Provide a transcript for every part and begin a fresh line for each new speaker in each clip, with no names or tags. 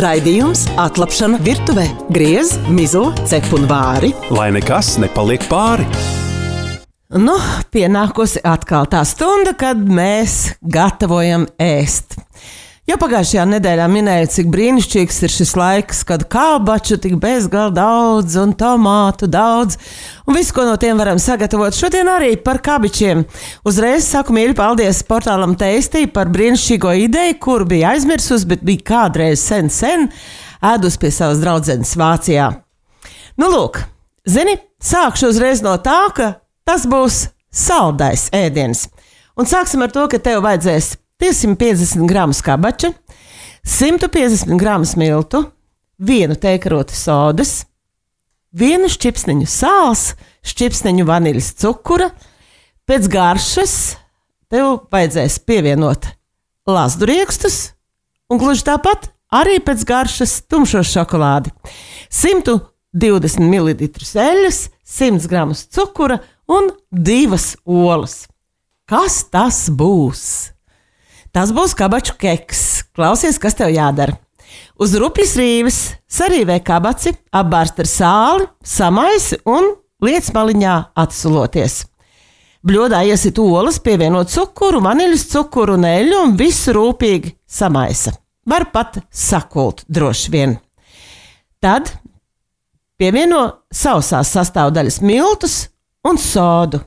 Raidījums Atlapšana virtuvē. Griez, mizo, cep un vāri.
Lai nekas nepaliek pāri.
Nu, pienākusi atkal tā stunda, kad mēs gatavojam ēst. Jau pagājušajā nedēļā minēju, cik brīnišķīgs ir šis laiks, kad kabaču tik bezgalīgi daudz un tomātu daudz, un visu, ko no tiem varam sagatavot. Šodien arī par kabičiem. Uzreiz saku mīļi paldies portālam Tasty par brīnišķīgo ideju, kuru bija aizmirsus, bet bija kādreiz sen ēdus pie savas draudzenes Vācijā. Nu, lūk, zini, sākšu uzreiz no tā, ka tas būs saldais ēdiens. Un sāksim ar to, ka tev vajadzēs 250 gramus kabača, 150 gramus miltu, 1 tēkarotu sodas, 1 šķipsniņu sāls, šķipsniņu vaniļas cukura. Pēc garšas tev vajadzēs pievienot lazduriekstus un gluži tāpat arī pēc garšas tumšo šokolādi. 120 ml eļļas, 100 gramus cukura un 2 olas. Kas tas būs? Tas būs kabaču keks. Klausies, kas tev jādara. Uz rupjas rīves sarīvē kabaci, apbārst ar sāli, samaisi un liec maliņā atsuloties. Bļodā iesit olas, pievienot cukuru, vaniļas cukuru un eļļu un visu rūpīgi samaisa. Var pat sakult droši vien. Tad pievieno sausās sastāvdaļas miltus un sodu.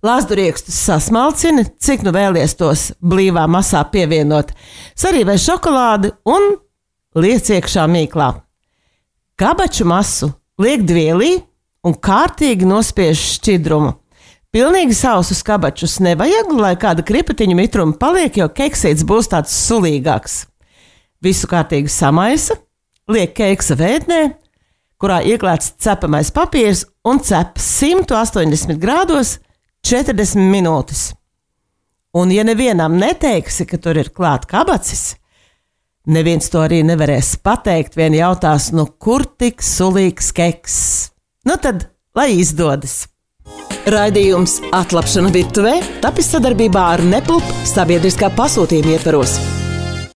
Lazduriekstus sasmalcini, cik nu vēlies tos blīvā masā pievienot. Sarīvē šokolādi un liec iekšā mīklā. Kabaču masu liek dvielī un kārtīgi nospiež šķidrumu. Pilnīgi sausus kabačus nevajag, lai kāda kripatiņu mitruma paliek, jo keksīts būs tāds sulīgāks. Visu kārtīgi samaisa, liek keksa vēdnē, kurā ieklāts cepamais papīrs un cep 180 grādos 40 minūtes. Un ja nevienam neteiksi, ka tur ir klāt kabacis, neviens to arī nevarēs pateikt, vien jautās, nu kur tik sulīgs keks? Nu tad, lai izdodas.
Raidījums Atlapšana virtuvē tapis sadarbībā ar Nepulp sabiedriskā pasūtījuma ietvaros.